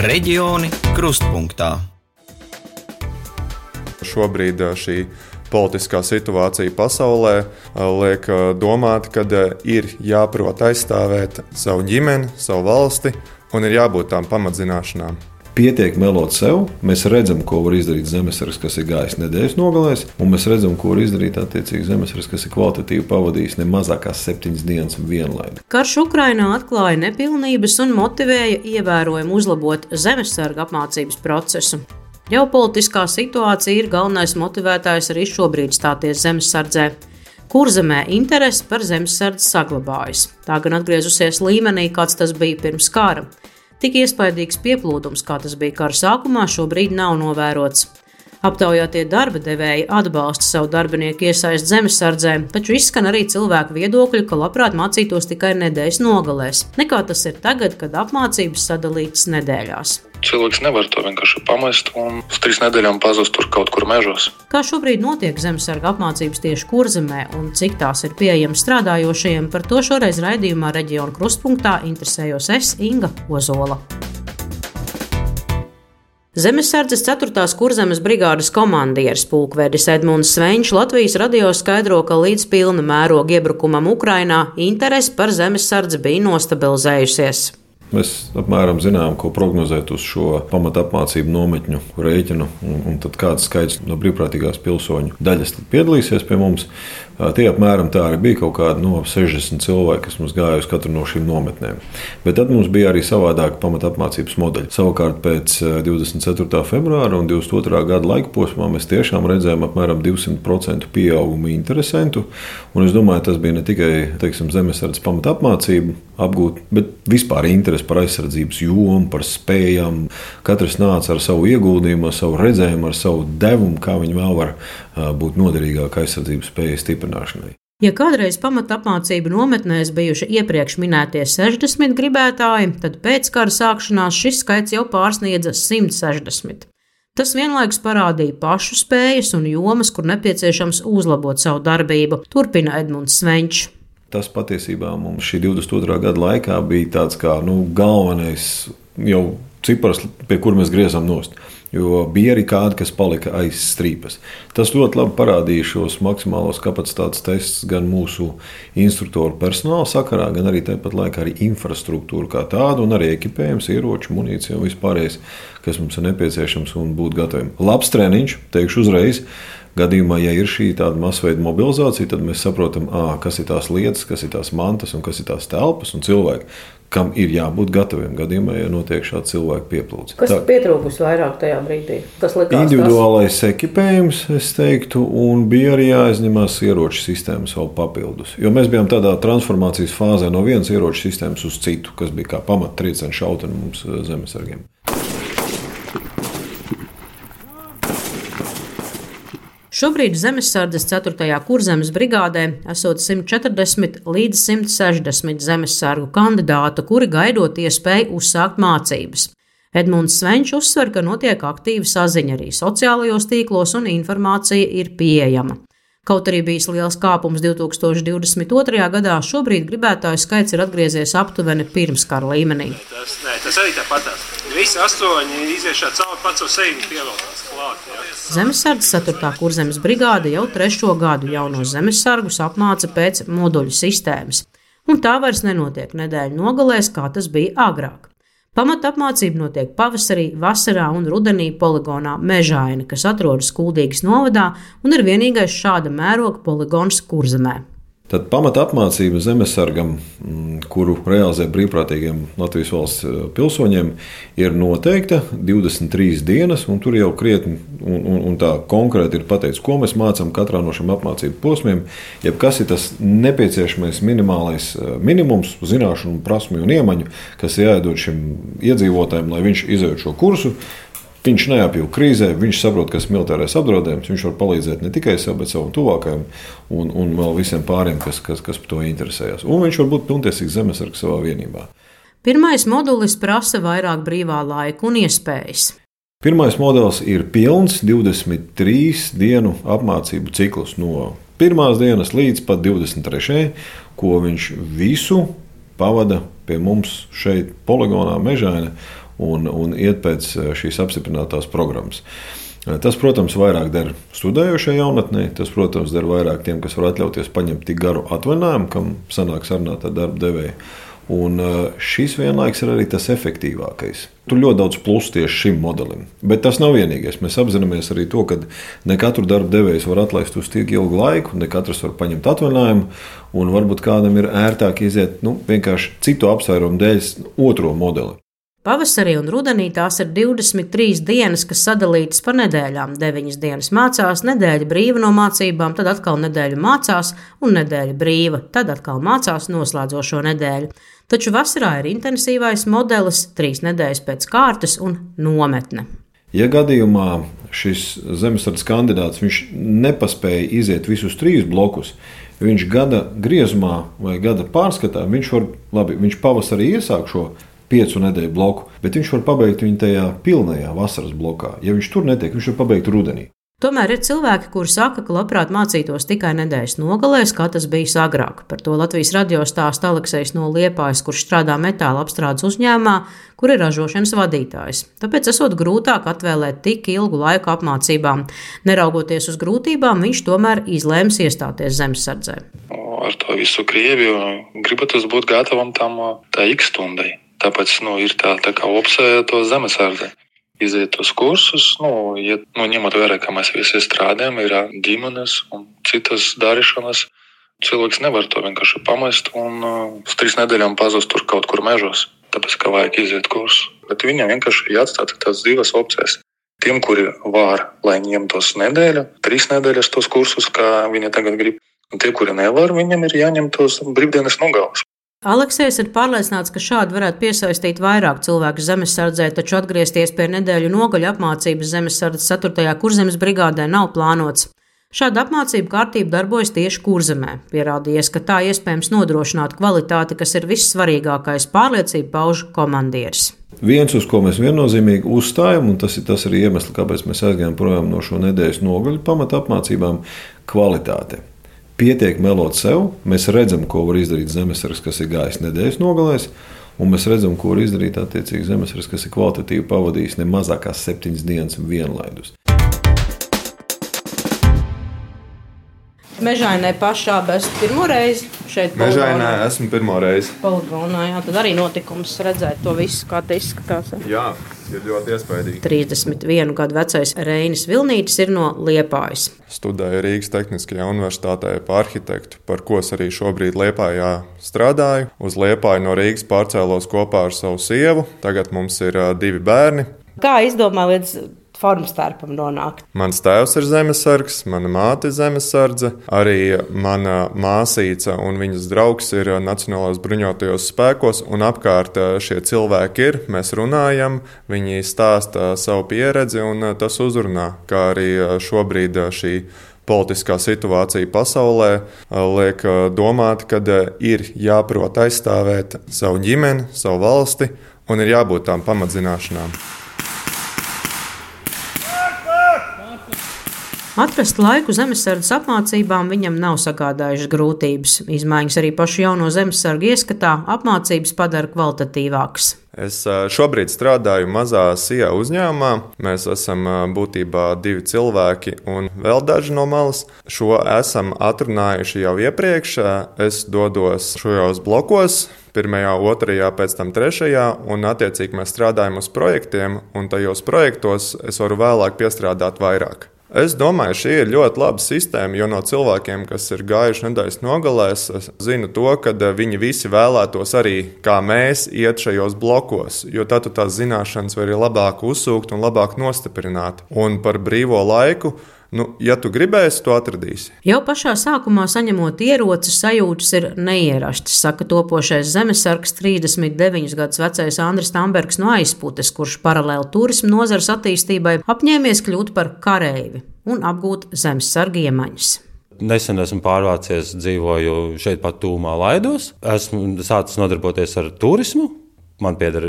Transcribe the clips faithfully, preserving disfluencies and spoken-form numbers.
Reģioni krustpunktā. Šobrīd šī politiskā situācija pasaulē liek domāt, ka ir jāprot aizstāvēt savu ģimeni, savu valsti un ir jābūt tām pamatzināšanām. Pietiek melot sev, mēs redzam, ko var izdarīt zemesargs, kas ir gājis nedēļas nogalēs, un mēs redzam, ko var izdarīt attiecīgi zemesargs, kas ir kvalitatīvi pavadījis ne mazākās septiņas dienas un vienlaidu. Karš Ukrainā atklāja nepilnības un motivēja ievērojami uzlabot zemesarga apmācības procesu. Ģeopolitiskā situācija ir galvenais motivētājs arī šobrīd stāties zemesardzē. Kurzemē interese par zemesardzi saglabājas. Tā gan atgriezusies līmenī, kāds tas bija pirms kara. Tik iespaidīgs pieplūdums, kā tas bija kara sākumā, šobrīd nav novērots. Aptaujātie darba devēji atbalsta savu darbinieku iesaisti zemesardzē, taču izskan arī cilvēku viedokļi, ka labprāt mācītos tikai nedēļas nogalēs, nekā tas ir tagad, kad apmācības sadalītas nedēļās. Cilvēks nevar to vienkārši pamest un uz trīs nedēļām pazust tur kaut kur mežos. Kā šobrīd notiek zemesarga apmācības tieši Kurzemē un cik tās ir pieejamas strādājošajiem, par to šoreiz raidījumā Reģionu krustpunktā interesējos es, Inga Ozola. Zemesardzes ceturtās Kurzemes brigādes komandieris pulkvedis Edmunds Svenčs Latvijas radio skaidro, ka līdz pilna mēroga iebrukumam Ukrainā interese par zemesardzi bija nostabilizējusies. Mēs apmēram zinām, ko prognozēt uz šo pamatapmācību nometņu rēķinu, un, un tad kāds skaits no brīvprātīgās pilsoņu daļas piedalīsies pie mums. Tie apmēram tā arī bija kaut kādi no sešdesmit cilvēki, kas mums gāja uz katru no šīm nometnēm. Bet tad mums bija arī savādāka pamatapmācības modeļa. Savukārt pēc divdesmit ceturtā februāra un divdesmit otrā gada laika posmā mēs tiešām redzējām apmēram divsimt procentu pieaugumu interesentu. Un es domāju, tas bija ne tikai, teiksim, zemesardzes pamatapmācību apgūt, bet vispār interesi par aizsardzības jomu, par spējām. Katrs nāca ar savu ieguldījumu, ar savu redzējumu, ar savu devumu, kā viņi vēl var būt noderīgāk aizsardzības spējas stiprināšanai. Ja kādreiz pamatapmācību nometnēs bijuši iepriekš minētie sešdesmit gribētāji, tad pēc kara sākšanās šis skaits jau pārsniedza simt sešdesmit. Tas vienlaikus parādīja pašu spējas un jomas, kur nepieciešams uzlabot savu darbību, turpina Edmunds Svenčs. Tas patiesībā mums šī divdesmit otrā gada laikā bija tāds kā nu, galvenais jau cipars, pie kur mēs griezām nost. Jo bija arī kādi, kas palika aiz strīpas. Tas ļoti labi parādīja šos maksimālos kapacitātes tests gan mūsu instruktoru personāla sakarā, gan arī tāpat laikā arī infrastruktūru kā tādu, un arī ekipējums, ieroči, munīcija un vispārējais, kas mums ir nepieciešams un būt gataviem. Labs treniņš, teikšu uzreiz. Gadījumā, ja ir šī tāda masveida mobilizācija, tad mēs saprotam, ā, kas ir tās lietas, kas ir tās mantas un kas ir tās telpas un cilvēki, kam ir jābūt gataviem gadījumā, ja notiek šāda cilvēka pieplūde. Kas ir pietrūkus vairāk tajā brīdī? Kas likās, individuālais kas? Ekipējums, es teiktu, un bija arī jāizņemās ieroču sistēmas vēl papildus. Jo mēs bijām tādā transformācijas fāzē no vienas ieroču sistēmas uz citu, kas bija kā pamat triecienu šauteni mums zemesargiem. Šobrīd zemesardzes ceturtajā Kurzemes brigādē esot simt četrdesmit līdz simt sešdesmit zemesargu kandidātu, kuri gaidot iespēju uzsākt mācības. Edmunds Svenčs uzsver, ka notiek aktīva saziņa arī sociālajos tīklos un informācija ir pieejama. Kaut arī bijis liels kāpums divi tūkstoši divdesmit otrajā gadā, šobrīd gribētāju skaits ir atgriezies aptuveni pirmskara līmenī. Tas, nē, tas arī tāpatās. Visi astoņi iziešā cauri pats ar sevi pieveltās klāt. Jā. Zemesardzes ceturtā Kurzemes brigāde jau trešo gadu jaunos zemesargus apmāca pēc moduļu sistēmas. Un tā vairs nenotiek nedēļu nogalēs, kā tas bija agrāk. Pamatapmācība notiek pavasarī, vasarā un rudenī poligonā Mežaini, kas atrodas Kuldīgas novadā un ir vienīgais šāda mēroga poligons Kurzemē. Tad pamatapmācība zemesargam, kuru realizē brīvprātīgiem Latvijas valsts pilsoņiem, ir noteikta divdesmit trīs dienas, un tur jau krietni un, un, un tā konkrēti ir pateikts, ko mēs mācām katrā no šiem apmācību posmiem, jeb kas ir tas nepieciešamais minimālais minimums, zināšanu, prasmju un iemaņu, kas ir jāiedod šim iedzīvotājiem, lai viņš izejot šo kursu. Viņš neapjūg krīzē, viņš saprot, kas ir militārais apdraudējums, viņš var palīdzēt ne tikai sev, bet savam tuvākajam un, un vēl visiem pāriem, kas, kas, kas par to interesējas. Un viņš var būt pilntiesīgs zemesargs savā vienībā. Pirmais modulis prasa vairāk brīvā laika un iespējas. Pirmais modelis ir pilns divdesmit trīs dienu apmācību ciklus no pirmās dienas līdz pat divdesmit trešajai, ko viņš visu pavada pie mums šeit poligonā Mežaini. un, un iet pēc šīs apstiprinātās programmas. Tas, protams, vairāk der studējošai jaunatnē, tas, protams, der vairāk tiem, kas var atļauties paņemt tik garu atvaļinājumu, kam sanāk sarunāt ar darba devēju. Un šis vienlaiks ir arī tas efektīvākais. Tur ļoti daudz plusu tieši šim modelim. Bet tas nav vienīgais. Mēs apzināmies arī to, ka ne katru darba devējs var atlaist uz tik ilgu laiku, ne katrs var paņemt atvaļinājumu, un varbūt kādam ir ērtāk iziet nu, vienkārši citu apsvērumu dēļ otro modeli. Pavasarī un rudenī tās ir divdesmit trīs dienas, kas sadalītas pa nedēļām. deviņas dienas mācās, nedēļa brīva no mācībām, tad atkal nedēļa mācās un nedēļa brīva, tad atkal mācās noslēdzošo nedēļu. Taču vasarā ir intensīvais modelis, trīs nedēļas pēc kārtas un nometne. Ja gadījumā šis zemesardzes kandidāts viņš nepaspēja iziet visus trīs blokus, viņš gada griezumā vai gada pārskatā, viņš var, labi, viņš pavasarī iesāk šo piecu nedēļu bloku, bet viņš var pabeigt viņu tajā pilnajā vasaras blokā. Ja viņš tur netiek, viņš var pabeigt rudenī. Tomēr ir cilvēki, kuri saka, ka labprāt mācītos tikai nedēļas nogalēs, kā tas bijis agrāk. Par to Latvijas radio stāsta Aleksejs no Liepājas, kurš strādā metāla apstrādes uzņēmumā, kur ir ražošanas vadītājs. Tāpēc esot grūtāk atvēlēt tik ilgu laiku apmācībām. Neraugoties uz grūtībām, viņš tomēr izlēms iestāties zemesardzē. Ar to visu Krieviju gribat būt gatavam tam tā X stundai. Tāpēc nu, ir tā, tā kā opcija to zemesardzi. Iziet uz kursus, nu, ja, nu, ņemot vērā, ka mēs visi strādājam, ir ģimenes un citas darīšanas. Cilvēks nevar to vienkārši pamest un uh, uz trīs nedēļām pazust tur kaut kur mežos, tāpēc, ka vajag iziet kursu. Bet viņam vienkārši ir jāatstāt tās divas opcijas. Tiem, kuri var, lai ņemtos nedēļu, trīs nedēļas tos kursus, kā viņi tagad grib. Un tie, kuri nevar, viņam ir jāņem tos brīvdienas nogales. Aleksejs ir pārliecināts, ka šādi varētu piesaistīt vairāk cilvēku zemesardzē, taču atgriezties pie nedēļu nogaļu apmācības zemesardzes ceturtajā kurzemes brigādē nav plānots. Šāda apmācība kārtība darbojas tieši Kurzemē. Pierādījies, ka tā iespējams nodrošināt kvalitāti, kas ir vissvarīgākais, pārliecību pauž komandieris. Viens, uz ko mēs viennozīmīgi uzstājam, un tas ir tas arī iemesls, kāpēc mēs aizgājām projām no šo nedēļas nogaļu pamata apmācībām - kvalitāte. Pietiek melot sev, mēs redzam, ko var izdarīt zemesargs, kas ir gājis nedēļas nogalēs, un mēs redzam, ko var izdarīt attiecīgi zemesargs, kas ir kvalitatīvi pavadījis ne mazākās septiņas dienas vienlaidus. Mežainē pašā bez pirmo reizi šeit Mežainē esmu pirmo reizi. Poligonā, jā, tad arī notikums redzēt to visu, kā te izskatās. Jā, ir ļoti iespaidīgi. trīsdesmit vienu gadu vecais Reinis Vilnītis ir no Liepājas. Studēju Rīgas Tehniskajā universitātē par arhitektu, par ko es arī šobrīd Liepājā strādāju. Uz Liepāju no Rīgas pārcēlos kopā ar savu sievu. Tagad mums ir uh, divi bērni. Kā izdomā līdz formstērpam nonākt? Mans tēvs ir zemesargs, mana māte ir zemesardze, arī mana māsīca un viņas draugs ir Nacionālajos bruņotajos spēkos, un apkārt šie cilvēki ir, mēs runājam, viņi stāsta savu pieredzi, un tas uzrunā, kā arī šobrīd šī politiskā situācija pasaulē liek domāt, ka ir jāprot aizstāvēt savu ģimeni, savu valsti, un ir jābūt tām pamatzināšanām. Atrast laiku zemesardzes apmācībām viņam nav sagādājušas grūtības. Izmaiņas arī pašu jauno zemesargu ieskatā apmācības padara kvalitatīvākas. Es šobrīd strādāju mazā S I A uzņēmumā. Mēs esam būtībā divi cilvēki un vēl daži no malas. Šo esam atrunājuši jau iepriekš. Es dodos šajos blokos, pirmajā, otrajā, pēc tam trešajā, un attiecīgi mēs strādājam uz projektiem, un tajos projektos es varu vēlāk piestrādāt vairāk. Es domāju, šī ir ļoti laba sistēma, jo no cilvēkiem, kas ir gājuši nedēļas nogalēs, es zinu to, ka viņi visi vēlētos arī, kā mēs, iet šajos blokos, jo tad tu tās zināšanas vari labāk uzsūkt un labāk nostiprināt. Un par brīvo laiku, nu, ja tu gribēsi, to atradīsi. Jau pašā sākumā saņemot ieroci, sajūtas ir neierastas, saka topošais zemesargs trīsdesmit deviņus gadus vecais Andris Tambergs no Aizputes, kurš paralēli turisma nozares attīstībai apņēmies kļūt par kareivi un apgūt zemesarga iemaņas. Nesen esmu pārvācies, dzīvoju šeit pat tūmā Laidos. Esmu sācis nodarboties ar turismu. Man pieder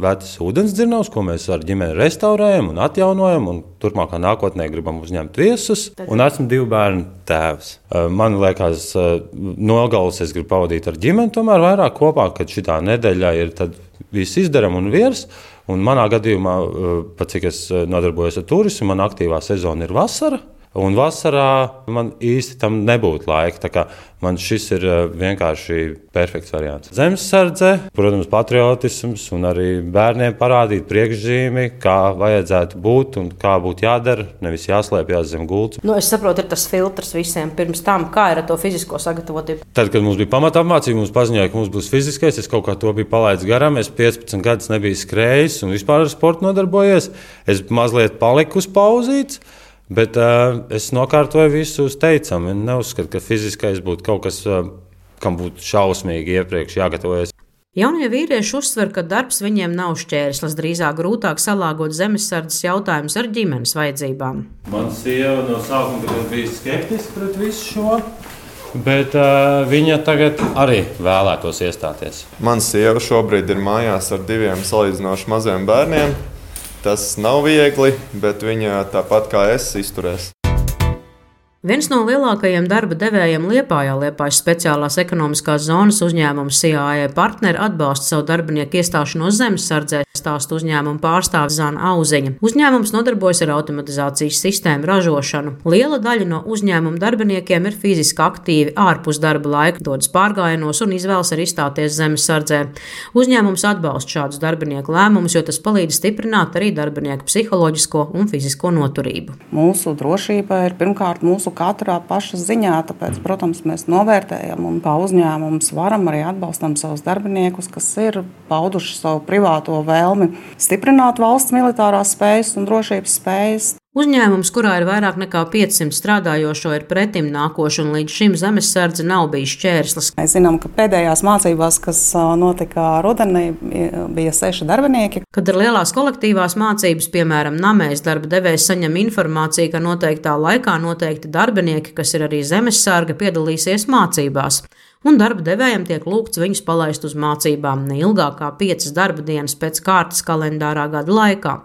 vecs ūdensdzirnavs, ko mēs ar ģimeni restaurējam un atjaunojam, un turpmākā nākotnē gribam uzņemt viesus. Un esmu divu bērnu tēvs. Man liekas, nogalas es gribu pavadīt ar ģimeni, tomēr vairāk kopā, kad šitā nedēļā ir tad viss izdaram un virs. Un manā gadījumā, pat cik es nodarbojos ar turismu, man aktīvā sezona ir vasara. Un vasarā man īsti tam nebūtu laika. Tā kā man šis ir vienkārši perfekts variants. Zemesardze, protams, patriotisms un arī bērniem parādīt priekšzīmi, kā vajadzētu būt un kā būtu jādara, nevis jāslēpjas zem gultas. Nu, es saprotu, ir tas filtrs visiem pirms tam, kā ir ar to fizisko sagatavotību. Tad, kad mums bija pamata apmācība, mums paziņoja, ka mums būs fiziskais. Es kaut kā to biju palaidis garām. Es piecpadsmit gadus nebiju skrējis un vispār ar sportu nodarbojies. Es mazliet paliku uz pauzītes. Bet uh, es nokārtoju visu uz teicamu. Neuzskatu, ka fiziskais būtu kaut kas, uh, kam būtu šausmīgi iepriekš jāgatavojas. Jaunie vīrieši uzsver, ka darbs viņiem nav šķērslis, drīzāk grūtāk salāgot zemesardzes jautājumus ar ģimenes vajadzībām. Man sieva no sākuma bija skeptiska pret visu šo, bet uh, viņa tagad arī vēlētos iestāties. Man sieva šobrīd ir mājās ar diviem salīdzinoši maziem bērniem. Tas nav viegli, bet viņa tāpat kā es izturēs. Viens no lielākajiem darba devējiem Liepājā, Liepājas speciālās ekonomiskās zonas uzņēmums C A E partneri atbalsta savu darbinieku iestāšanos zemesardzē, stāsta uzņēmuma pārstāve Zana Auziņa. Uzņēmums nodarbojas ar automatizācijas sistēmu ražošanu. Liela daļa no uzņēmuma darbiniekiem ir fiziski aktīvi ārpus darba laika, dodas pārgājienos un izvēlas arī stāties zemesardzē. Uzņēmums atbalsta šādus darbinieku lēmumus, jo tas palīdz stiprināt arī darbinieku psiholoģisko un fizisko noturību. Mūsu drošība ir pirmkārt mūsu katrā paša ziņā, tāpēc, protams, mēs novērtējam un kā uzņēmums varam arī atbalstam savus darbiniekus, kas ir pauduši savu privāto vēlmi stiprināt valsts militārās spējas un drošības spējas. Uzņēmums, kurā ir vairāk nekā piecsimt strādājošo, ir pretim nākoši, un līdz šim zemesardze nav bijis šķērslis. Mēs zinām, ka pēdējās mācībās, kas notika rudenī, bija seši darbinieki. Kad ir lielās kolektīvās mācības, piemēram, Namēs, darba devējs saņem informāciju, ka noteiktā laikā noteikti darbinieki, kas ir arī zemesarga, piedalīsies mācībās. Un darba devējiem tiek lūgts viņus palaist uz mācībām ne ilgāk kā piecas darba dienas pēc kārtas kalendārā gada laikā.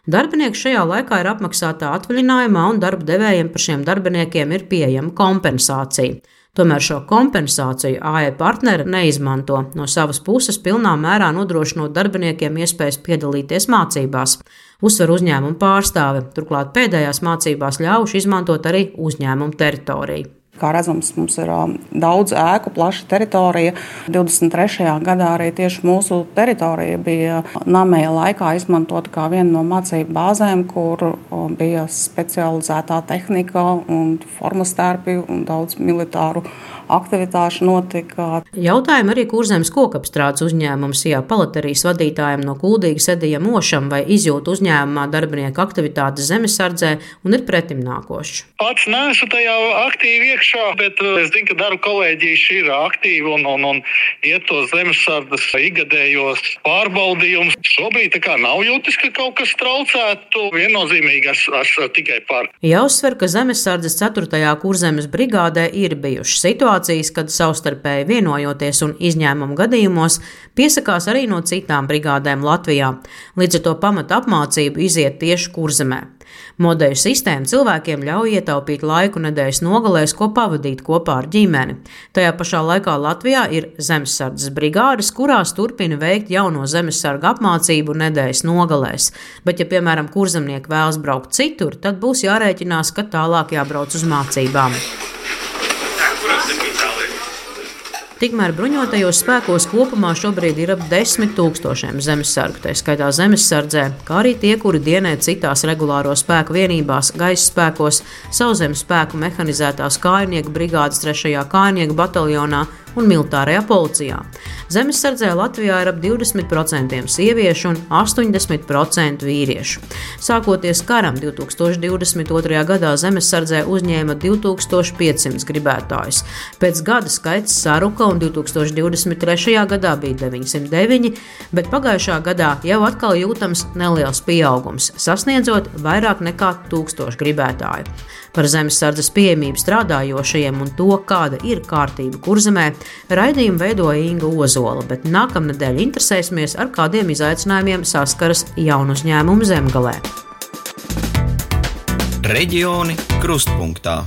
Darbinieks šajā laikā ir apmaksātā atvaļinājumā, un darba devējiem par šiem darbiniekiem ir pieejama kompensācija. Tomēr šo kompensāciju A E partneri neizmanto, no savas puses pilnā mērā nodrošinot darbiniekiem iespējas piedalīties mācībās. Uzsver uzņēmuma pārstāve, turklāt pēdējās mācībās ļaujuši izmantot arī uzņēmuma teritoriju. Kā redzams, mums ir daudz ēku, plaša teritorija. divdesmit trešajā gadā arī tieši mūsu teritorija bija Namēja laikā izmantota kā viena no mācību bāzēm, kur bija specializētā tehnika un formas tērpi un daudz militāru aktivitāšu notika. Jautājumu arī Kurzemes kokapstrādes uzņēmums C A palaterijas vadītājiem no Kuldīgas Edijam Ošam, vai izjūt uzņēmumā darbinieku aktivitātes zemesardzē un ir pretim nākošs. Pats neesmu tajā aktīvi iekšā, bet es zinu, ka darba kolēģija ir aktīva un, un, un iet tos zemesardzes ikgadējos pārbaudījumus. Šobrīd tā kā nav jūtis, ka kaut kas traucētu. Viennozīmīgi es esmu tikai par. Jāuzsver, ka zemesardzes ceturtajā Kurzemes brigādē ir bijušas situācijas, kad savstarpēji vienojoties un izņēmumu gadījumos piesakās arī no citām brigādēm Latvijā. Līdz ar to pamata apmācību iziet tieši Kurzemē. Modeļu sistēma cilvēkiem ļauj ietaupīt laiku nedēļas nogalēs, ko pavadīt kopā ar ģimeni. Tajā pašā laikā Latvijā ir zemesardzes brigādes, kurās turpina veikt jauno zemesarga apmācību nedēļas nogalēs. Bet, ja, piemēram, kurzemnieki vēlas braukt citur, tad būs jārēķinās, ka tālāk jābrauc uz mācībām. Tikmēr bruņotajos spēkos kopumā šobrīd ir ap desmit tūkstošiem zemesargu, tā skaitā zemesardzē, kā arī tie, kuri dienē citās regulāro spēku vienībās, gaisa spēkos, sauszemes spēku mehanizētās kājnieku brigādes trešajā kājnieku bataljonā un militārajā policijā. Zemesardzē Latvijā ir ap divdesmit procenti sieviešu un astoņdesmit procenti vīriešu. Sākoties karam divi tūkstoši divdesmit otrajā gadā zemesardzē uzņēma divi tūkstoši piecsimt gribētājus. Pēc gada skaits saruka un divi tūkstoši divdesmit trešajā gadā bija deviņsimt deviņi, bet pagājušā gadā jau atkal jūtams neliels pieaugums, sasniedzot vairāk nekā tūkstošu gribētāju. Par zemesardzes pieejamību strādājošajiem un to, kāda ir kārtība Kurzemē, raidījumu veidoja Inga Ozola, bet nākamnedēļ interesēsimies, ar kādiem izaicinājumiem saskaras jaunu uzņēmumu Zemgalē. Reģioni krustpunktā.